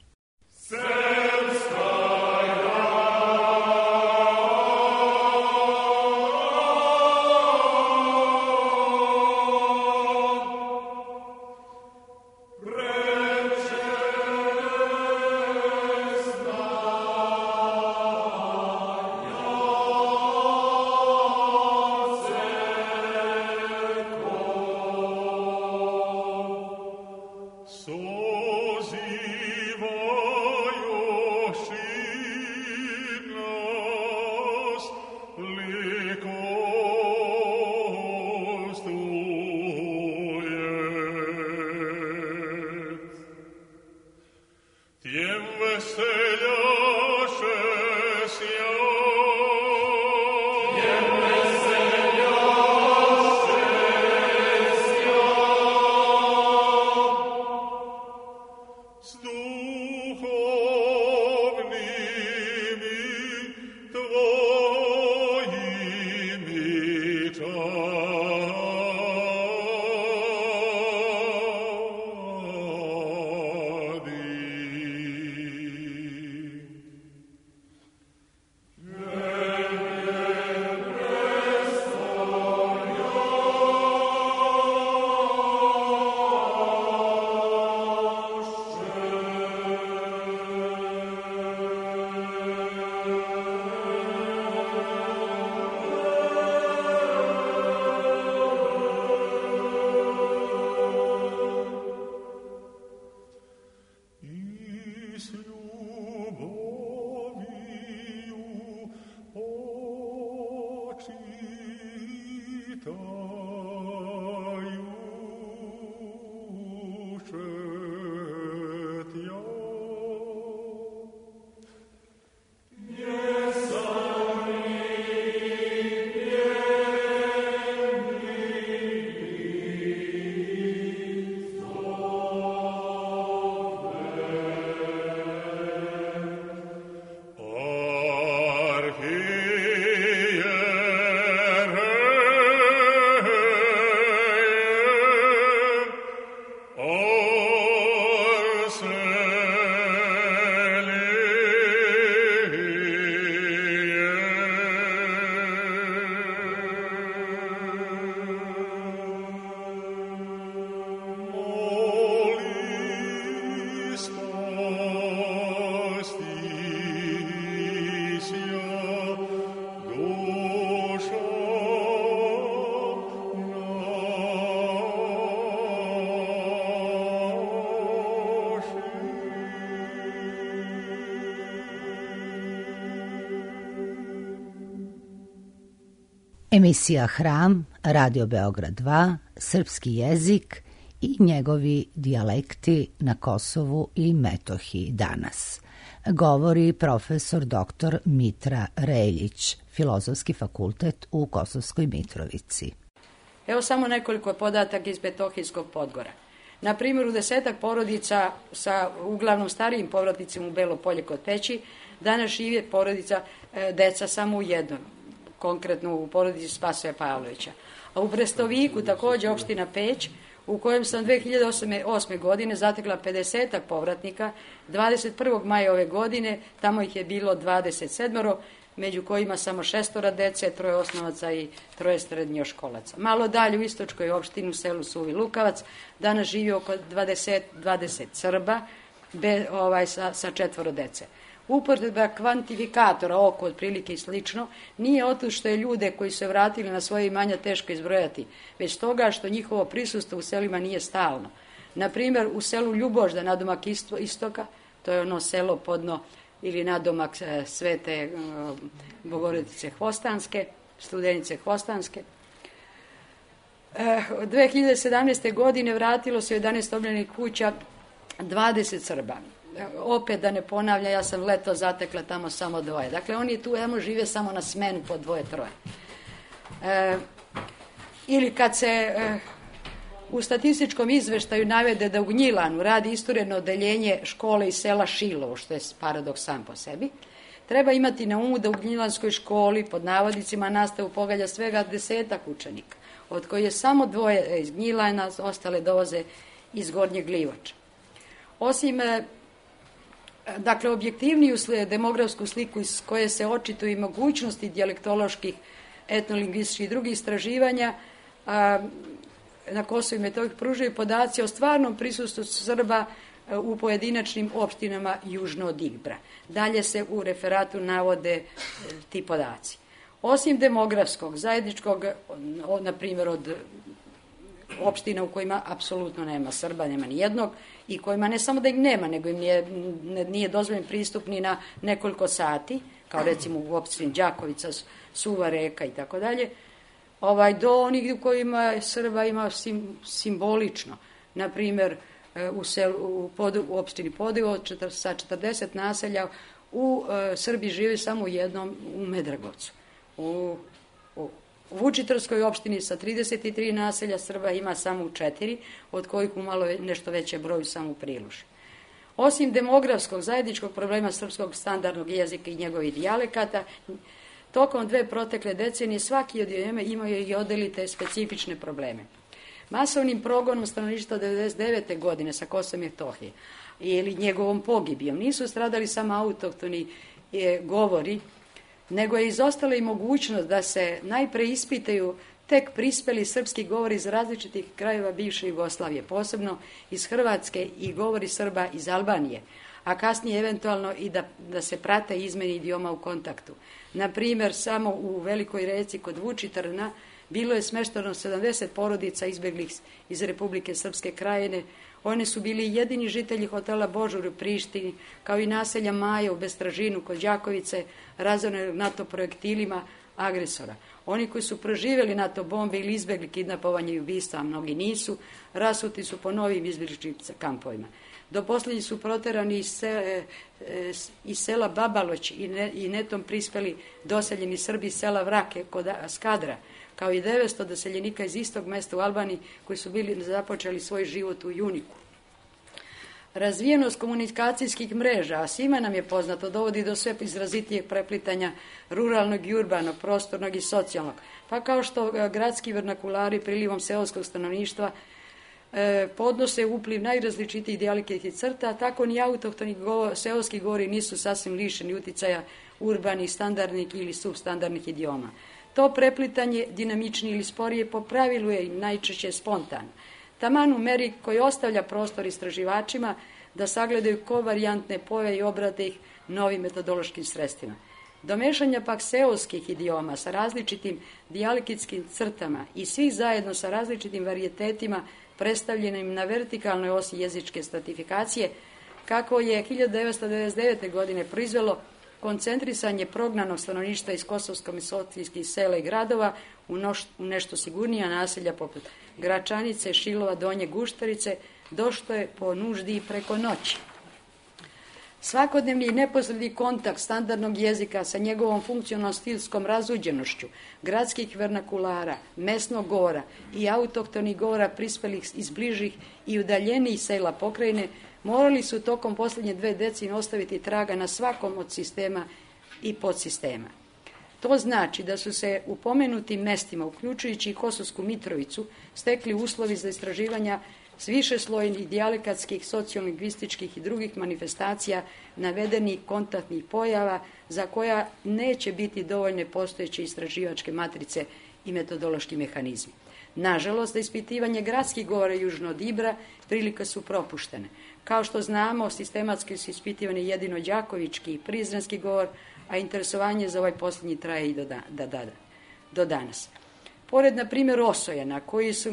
Emisija Hram, Radio Beograd dva, srpski jezik i njegovi dijalekti na Kosovu i Metohiji danas. Govori profesor doktor Mitra Reljić, Filozofski fakultet u Kosovskoj Mitrovici. Evo samo nekoliko podataka iz Metohijskog Podgora. Na primjer, u desetak porodica sa uglavnom starijim povratnicima u Belo Polje kod Peći, danas žive porodica e, deca samo u jednom, konkretno u porodici Spasoja Pavlovića. A u Brestoviku, također opština Peć, u kojem sam dve hiljade osme. godine zatekla pedesetak povratnika, dvadeset prvog maja ove godine, tamo ih je bilo dvadeset sedam, među kojima samo šestora dece, troje osnovaca i troje srednjoškolaca. Malo dalje u istočkoj opštini u selu Suvi Lukavac danas živi oko dvadeset, dvadeset Srba be, ovaj, sa, sa četvoro dece. Upotreba kvantifikatora, oko otprilike i slično, nije oto što je ljude koji se vratili na svoje imanja teško izbrojati, već toga što njihovo prisustvo u selima nije stalno. Na primjer, u selu Ljubožda, nadomak istoka, to je ono selo podno ili nadomak Svete Bogorodice Hvostanske, Studenice Hvostanske. dve hiljade sedamnaeste. godine vratilo se jedanaest obnovljenih kuća dvadeset Srba. Opet da ne ponavlja, ja sam leto zatekla tamo samo dvoje. Dakle, oni tu tamo žive samo na smenu po dvoje, troje. E, ili kad se e, u statističkom izveštaju navede da u Gnjilanu radi isturedno odeljenje škole iz sela Šilovo, što je paradoks sam po sebi, treba imati na umu da u Gnjilanskoj školi pod navodnicima nastavu pogađa svega desetak učenika, od koji je samo dvoje iz Gnjilana, ostale dovoze iz Gornjeg Livača. Osim dakle, objektivniju demografsku sliku iz koje se očituju i mogućnosti dijalektoloških, etnolingvističkih i drugih istraživanja, a, na Kosovu i Metohiji pružaju podaci o stvarnom prisustvu Srba u pojedinačnim opštinama južno od Ibra. Dalje se u referatu navode ti podaci. Osim demografskog, zajedničkog, na primjer od opština u kojima apsolutno nema Srba, nema ni jednog, i kojima ne samo da ih nema, nego im nije, nije dozvoljen pristup ni na nekoliko sati, kao recimo u opštini Đakovica, Suva Reka i tako dalje, ovaj, do onih u kojima Srba ima sim, simbolično. Na primjer, u, selu, u, pod, u opštini Podivo četir, sa četrdeset naselja u e, Srbiji žive samo u jednom, u Medragovcu. U, u U Vučitrskoj opštini sa trideset tri naselja Srba ima samo u četiri, od kojih u malo nešto veće broju samo u Priluži. Osim demografskog zajedničkog problema srpskog standardnog jezika i njegovih dijalekata, tokom dve protekle decenije svaki od njima imaju i odelite specifične probleme. Masovnim progonom stanovništva devedeset devete. godine sa Kosova i Metohije ili njegovom pogibijom nisu stradali samo autohtoni e, govori, nego je izostala i mogućnost da se najpre ispitaju tek prispeli srpski govori iz različitih krajeva bivše Jugoslavije, posebno iz Hrvatske i govori Srba iz Albanije, a kasnije eventualno i da, da se prate izmeni idioma u kontaktu. Na primjer, samo u Velikoj Reci kod Vučitrna bilo je smešteno sedamdeset porodica izbeglih iz Republike Srpske Krajine. One su bili jedini žitelji hotela Božur u Prištini, kao i naselja Maja u Bestražinu kod Đakovice, razorene NATO projektilima agresora. Oni koji su proživjeli NATO bombe ili izbegli kidnapovanje i ubistva, a mnogi nisu, rasuti su po novim izbjegličkim kampovima. Do posljednji su proterani iz, se, iz sela Babaloć i, ne, i netom prispeli doseljeni Srbi iz sela Vrake kod Skadra, kao i devetsto doseljenika iz istog mesta u Albaniji koji su bili započeli svoj život u Juniku. Razvijenost komunikacijskih mreža, a svima nam je poznato, dovodi do sve izrazitijeg preplitanja ruralnog i urbanog, prostornog i socijalnog. Pa kao što gradski vernakulari prilivom seoskog stanovništva e, podnose upliv najrazličitijih dijalektičkih crta, tako ni autohtoni go, seoski govori nisu sasvim lišeni uticaja urbanih, standardnih ili substandardnih idioma. To preplitanje, dinamičnije ili sporije, po pravilu je najčešće spontano. Taman u meri koji ostavlja prostor istraživačima da sagledaju kovarijantne pojave i obrate ih novim metodološkim sredstvima. Do mešanja pak seoskih idioma sa različitim dijalektskim crtama i svih zajedno sa različitim varijetetima predstavljenim na vertikalnoj osi jezičke stratifikacije, kako je hiljadu devetsto devedeset devete. godine proizvelo koncentrisanje prognanog stanovništva iz kosovsko-metohijskih sela i gradova u, noš, u nešto sigurnija naselja poput Gračanice, Šilova, Donje Guštarice, došlo je po nuždi i preko noći. Svakodnevni i neposredni kontakt standardnog jezika sa njegovom funkcionalno-stilskom razuđenošću, gradskih vernakulara, mesnog govora i autohtonih govora prispelih iz bližih i udaljenijih sela pokrajine, morali su tokom posljednje dve decenije ostaviti traga na svakom od sistema i podsistema. To znači da su se u pomenutim mestima, uključujući i Kosovsku Mitrovicu, stekli uslovi za istraživanja s višeslojnih dijalekatskih, sociolingvističkih i drugih manifestacija navedenih kontaktnih pojava za koja neće biti dovoljne postojeće istraživačke matrice i metodološki mehanizmi. Nažalost, za ispitivanje gradskih govora južno od Ibra prilike su propuštene. Kao što znamo, sistematski su ispitivani jedino đakovički i prizrenski govor, a interesovanje za ovaj posljednji traje i do, da, da, da, do danas. Pored, na primjer, Osojena, koji su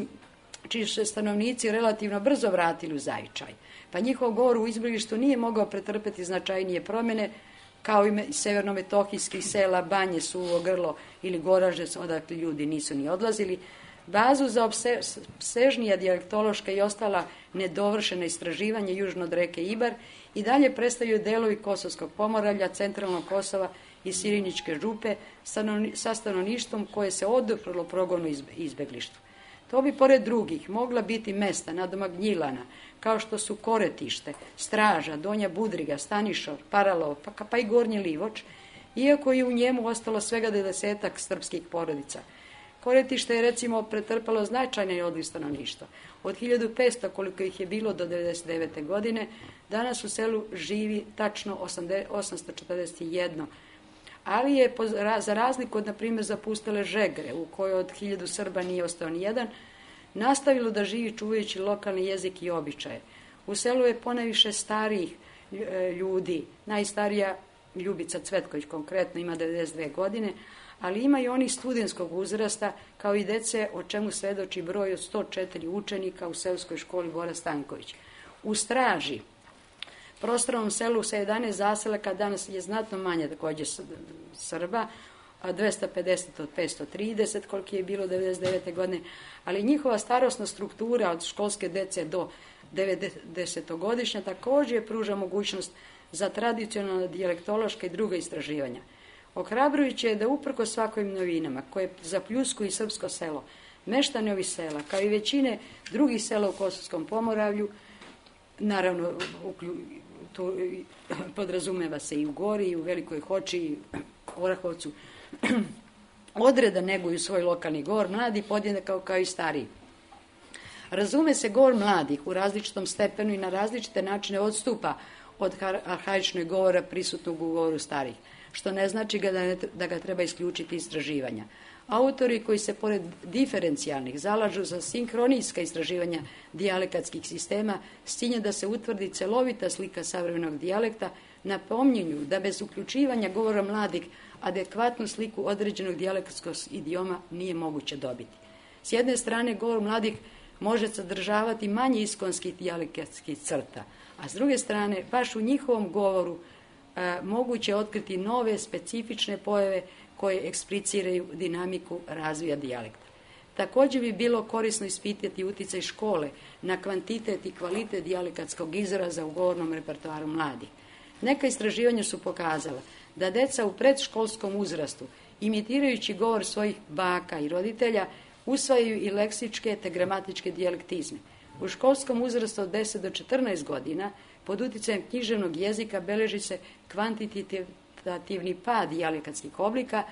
čiji su stanovnici relativno brzo vratili u zavičaj, pa njihov govor u izbjeglištu nije mogao pretrpeti značajnije promjene, kao i severno-metohijskih sela, Banje, Suvo, Grlo ili Goraždec, odakle ljudi nisu ni odlazili. Bazu za opsežnija dijalektološka i ostala nedovršena istraživanja južno od reke Ibar i dalje predstavljaju delovi Kosovskog Pomoravlja, centralnog Kosova i Siriničke župe sa stanovništvom koje se oduprlo progonu izbjeglištvu. To bi, pored drugih, mogla biti mesta nadomak Gnjilana, kao što su Koretište, Straža, Donja Budriga, Stanišov, Paralovo, pa, pa i Gornji Livoč, iako je u njemu ostalo svega devedesetak srpskih porodica. Koretište je, recimo, pretrpalo značajne odliv stanovništva. Od hiljadu petsto, koliko ih je bilo do devedeset devete. godine, danas u selu živi tačno osamsto četrdeset jedan, ali je za razliku od, na primjer, zapustele Žegre, u kojoj od hiljadu Srba nije ostao ni jedan, nastavilo da živi čuvajući lokalni jezik i običaje. U selu je ponajviše starijih ljudi, najstarija Ljubica Cvetković konkretno ima devedeset dve godine, ali ima i onih studentskog uzrasta, kao i dece, o čemu svedoči broj od sto četiri učenika u seoskoj školi Bora Stanković. U Straži, prostornom selu sa jedanaest zaselaka, danas je znatno manje također Srba, dvesta pedeset od petsto trideset, koliko je bilo devedeset devete. godine, ali njihova starosna struktura od školske dece do devedesetogodišnja također pruža mogućnost za tradicionalna dijalektološka i druga istraživanja. Ohrabrujuće je da uprkos svakojim novinama koje zapljuskuju i srpsko selo, meštani ovih sela, kao i većine drugih sela u Kosovskom Pomoravlju, naravno to podrazumeva se i u Gori, i u Velikoj Hoči, i Orahovcu, odreda neguju svoj lokalni govor, mladi podjednako kao i stariji. Razume se, govor mladih u različitom stepenu i na različite načine odstupa od arhaičnog govora prisutnog u govoru starih, što ne znači ga da, ne, da ga treba isključiti istraživanja. Autori koji se pored diferencijalnih zalažu za sinhronijska istraživanja dijalekatskih sistema s ciljem da se utvrdi celovita slika savremenog dijalekta, napominju da bez uključivanja govora mladih adekvatnu sliku određenog dijalekatskog idioma nije moguće dobiti. S jedne strane, govor mladih može sadržavati manje iskonskih dijalekatskih crta, a s druge strane, baš u njihovom govoru e, moguće je otkriti nove specifične pojave koje ekspliciraju dinamiku razvoja dijalekta. Također bi bilo korisno ispitati utjecaj škole na kvantitet i kvalitet dijalekatskog izraza u govornom repertoaru mladih. Neka istraživanja su pokazala da deca u predškolskom uzrastu, imitirajući govor svojih baka i roditelja, usvajaju i leksičke te gramatičke dijalektizme. U školskom uzrastu od deset do četrnaest godina, pod utjecajem književnog jezika, beleži se kvantitativni pad dijalekatskih oblika,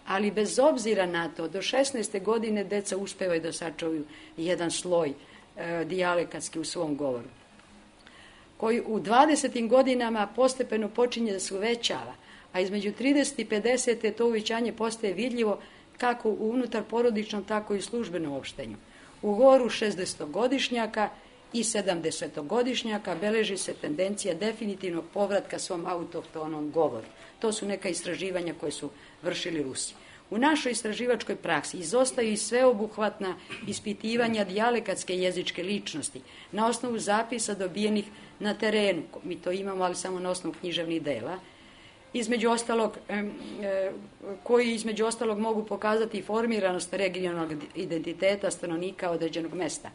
ali bez obzira na to, do šesnaeste godine deca uspevaju da sačuvaju jedan sloj e, dijalekatski u svom govoru, koji u dvadesetim godinama postepeno počinje da se uvećava, a između trideset i pedeset to uvećanje postaje vidljivo kako u unutar porodičnom, tako i u službenom opštenju. U govoru šezdesetogodišnjaka i sedamdesetogodišnjaka beleži se tendencija definitivnog povratka svom autohtonom govoru. To su neka istraživanja koje su vršili Rusi. U našoj istraživačkoj praksi izostaju i sveobuhvatna ispitivanja dijalekatske jezičke ličnosti na osnovu zapisa dobijenih na terenu. Mi to imamo, ali samo na osnovu književnih dela. između ostalog, koji između ostalog mogu pokazati formiranost regionalnog identiteta stanovnika određenog mesta.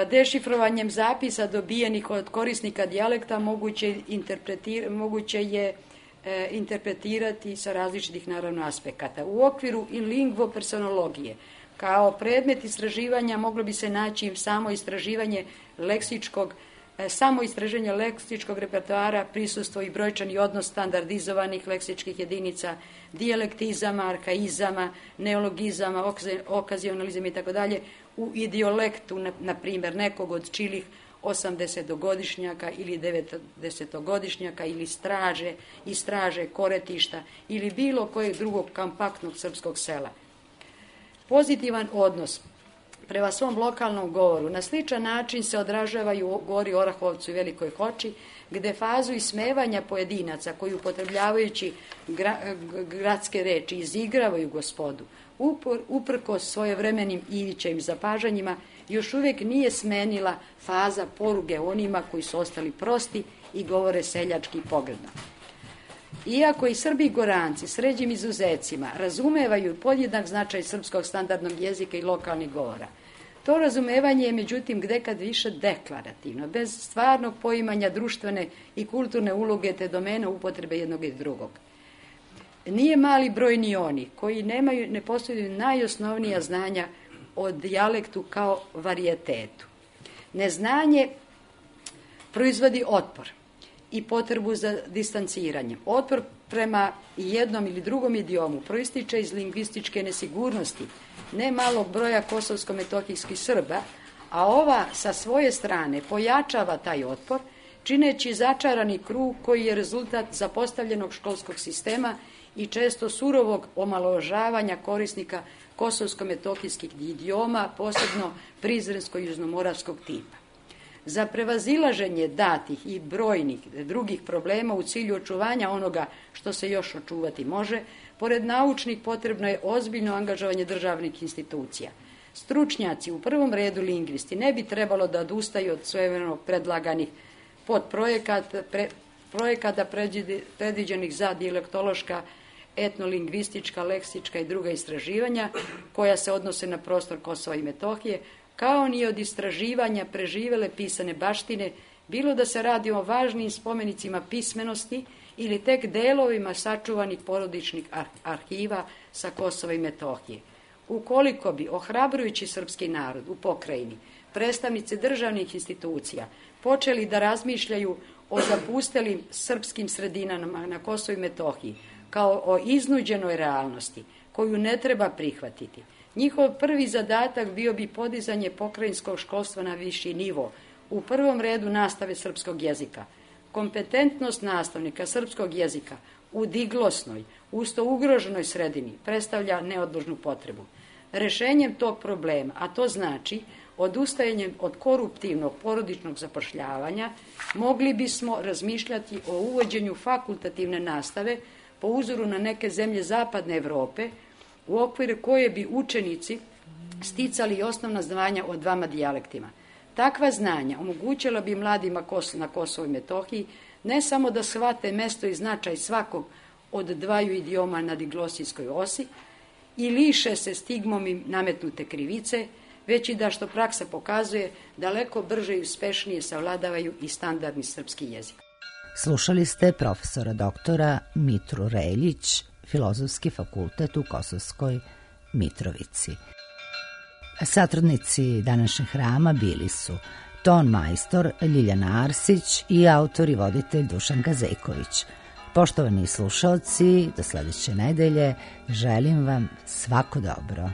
Dešifrovanjem zapisa dobijenih od korisnika dijalekta moguće, moguće je e, interpretirati sa različitih naravno aspekata. U okviru in lingvo personologije kao predmet istraživanja moglo bi se naći samo istraživanje leksičkog e, samo istraženje leksičkog repertoara, prisustvo i brojčani odnos standardizovanih leksičkih jedinica, dijalektizama, arkaizama, neologizama, okazionalizama i tako dalje, u idiolektu, na, na primjer, nekog od čilih osamdesetogodišnjaka ili devedesetogodišnjaka ili straže i straže koretišta ili bilo kojeg drugog kompaktnog srpskog sela. Pozitivan odnos prema svom lokalnom govoru na sličan način se odražavaju u Gori Orahovcu i Velikoj Hoči, gde fazu ismevanja pojedinaca koji upotrebljavajući gra, gradske reči izigravaju gospodu, upor, uprkos svojevremenim Ivićevim zapažanjima, još uvijek nije smenila faza poruge onima koji su ostali prosti i govore seljački pogrdno. Iako i Srbi i Goranci s ređim izuzecima razumevaju podjednak značaj srpskog standardnog jezika i lokalnih govora, to razumevanje je međutim gdekad više deklarativno, bez stvarnog poimanja društvene i kulturne uloge te domene upotrebe jednog i drugog. Nije mali broj ni oni koji nemaju, ne posjeduju najosnovnija znanja o dijalektu kao varijetetu. Neznanje proizvodi otpor i potrebu za distanciranjem. Otpor prema jednom ili drugom idiomu proističe iz lingvističke nesigurnosti ne malog broja kosovsko-metohijskih Srba, a ova sa svoje strane pojačava taj otpor, čineći začarani krug koji je rezultat zapostavljenog školskog sistema i često surovog omalovažavanja korisnika kosovsko-metohijskih idioma, posebno prizrensko-južnomoravskog tipa. Za prevazilaženje datih i brojnih drugih problema u cilju očuvanja onoga što se još očuvati može, pored naučnih potrebno je ozbiljno angažovanje državnih institucija. Stručnjaci, u prvom redu lingvisti, ne bi trebalo da odustaju od svojevremeno predlaganih podprojekata, pre, projekata predviđenih za dijalektološka, etnolingvistička, leksička i druga istraživanja koja se odnose na prostor Kosova i Metohije, kao ni od istraživanja preživele pisane baštine, bilo da se radi o važnim spomenicima pismenosti ili tek delovima sačuvanih porodičnih arhiva sa Kosova i Metohije. Ukoliko bi ohrabrujući srpski narod u pokrajini, predstavnici državnih institucija, počeli da razmišljaju o zapustelim srpskim sredinama na Kosovu i Metohiji, kao o iznuđenoj realnosti, koju ne treba prihvatiti, njihov prvi zadatak bio bi podizanje pokrajinskog školstva na viši nivo, u prvom redu nastave srpskog jezika. Kompetentnost nastavnika srpskog jezika u diglosnoj, usto ugroženoj sredini predstavlja neodložnu potrebu. Rešenjem tog problema, a to znači odustajanjem od koruptivnog porodičnog zapošljavanja, mogli bismo razmišljati o uvođenju fakultativne nastave po uzoru na neke zemlje zapadne Evrope, u okviru koje bi učenici sticali osnovna znanja o dvama dijalektima. Takva znanja omogućila bi mladima na Kosovu i Metohiji ne samo da shvate mesto i značaj svakog od dvaju idioma na diglosijskoj osi i liše se stigmom im nametnute krivice, već i da, što praksa pokazuje, daleko brže i uspešnije savladavaju i standardni srpski jezik. Slušali ste profesora doktora Mitru Reljić, Filozofski fakultet u Kosovskoj Mitrovici. Satrudnici današnjeg hrama bili su ton majstor Ljiljana Arsić i autor i voditelj Dušan Gazejković. Poštovani slušalci, do sledeće nedelje želim vam svako dobro.